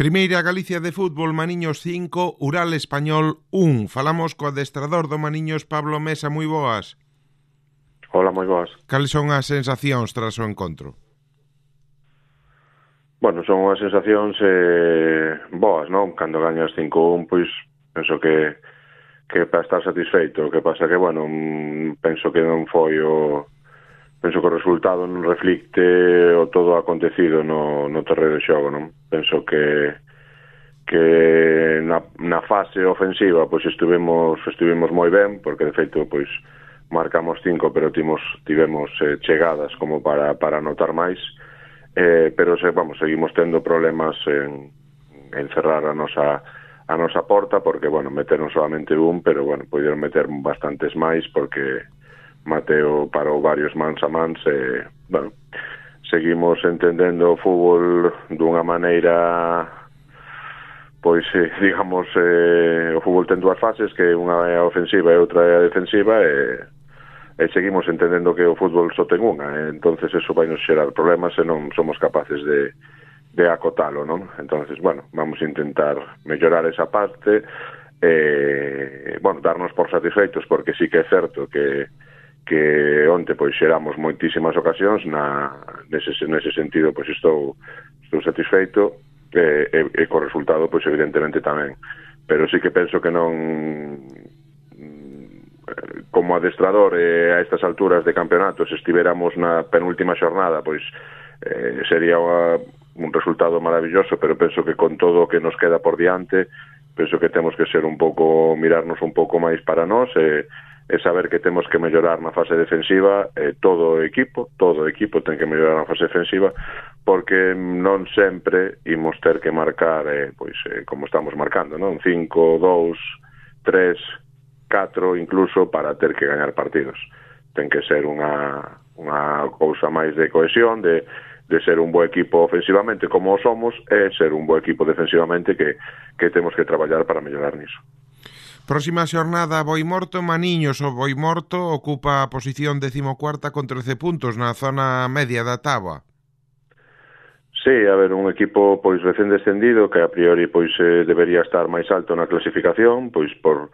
Primeira Galicia de fútbol, Maniños 5, Ural Español 1. Falamos co adestrador do Maniños, Pablo Mesa, moi boas. Hola, moi boas. Cales son as sensacións tras o encontro? Bueno, son unhas sensacións boas, non? Cando gañas 5-1, pois penso que para estar satisfeito. O que pasa que, bueno, penso que non foi o... Penso que o resultado non reflicte o todo acontecido no terreno de xogo, non? Penso que na fase ofensiva pois estivemos moi ben, porque de feito pois marcamos 5, pero tivemos chegadas como para anotar máis, pero seguimos tendo problemas en cerrar a nosa porta, porque, bueno, meteron solamente un, pero, bueno, poderon meter bastantes máis, porque Mateo parou varios mans a mans, bueno, seguimos entendendo o fútbol dunha maneira, pois, digamos, o fútbol ten dúas fases, que unha é a ofensiva e outra é a defensiva, e seguimos entendendo que o fútbol só ten unha, entonces eso vai nos xerar problemas se non somos capaces de acotalo, non? Entonces, bueno, vamos a intentar mellorar esa parte, bueno, darnos por satisfeitos, porque sí que é certo que onte pois xeramos moitísimas ocasións, nese sentido pois estou satisfeito, e co resultado pois evidentemente tamén, pero sí que penso que non, como adestrador a estas alturas de campeonato, se estiveramos na penúltima xornada, pois sería un resultado maravilloso, pero penso que con todo o que nos queda por diante, penso que temos que ser mirarnos un pouco máis para nós, e saber que temos que mellorar na fase defensiva, todo o equipo ten que mellorar na fase defensiva, porque non sempre imos ter que marcar pois como estamos marcando, non? 5, 2, 3, 4 incluso, para ter que gañar partidos. Ten que ser unha cousa máis de cohesión, de ser un bo equipo ofensivamente como somos, e ser un bo equipo defensivamente, que temos que traballar para mellorar niso. Próxima xornada, Boimorto, Maniños. O Boimorto ocupa a posición 14ª con 13 puntos na zona media da táboa. Sí, a ver, un equipo pois recén descendido, que a priori pois debería estar máis alto na clasificación, pois por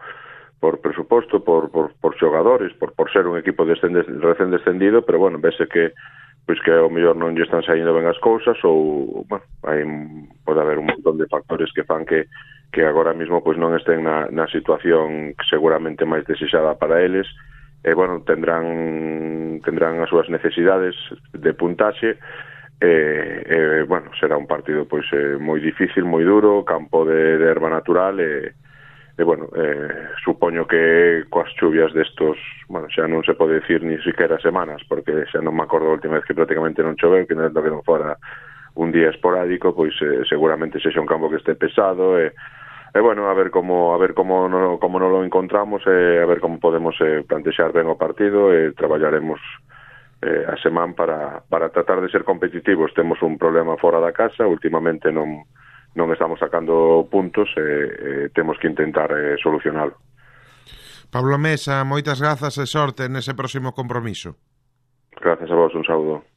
presuposto, por xogadores, por ser un equipo recén descendido, pero, bueno, vese que ao mellor non lle están saindo ben as cousas, ou, bueno, pode haber un montón de factores que fan que agora mesmo pois non estén na situación seguramente máis desexada para eles, e, bueno, tendrán as súas necesidades de puntaxe, e bueno, será un partido pois moi difícil, moi duro, campo de erva natural, e bueno, supoño que coas chuvias destos, bueno, xa non se pode decir ni siquiera semanas, porque xa non me acordo a última vez que prácticamente non choveu, que non fora un día esporádico, pois seguramente sexa un campo que este pesado, e bueno, a ver como non lo encontramos, e a ver como podemos plantexar ben o partido, e traballaremos a semana para tratar de ser competitivos. Temos un problema fora da casa, últimamente non estamos sacando puntos, e temos que intentar solucionalo. Pablo Mesa, moitas grazas e sorte nese próximo compromiso. Grazas a vos, un saúdo.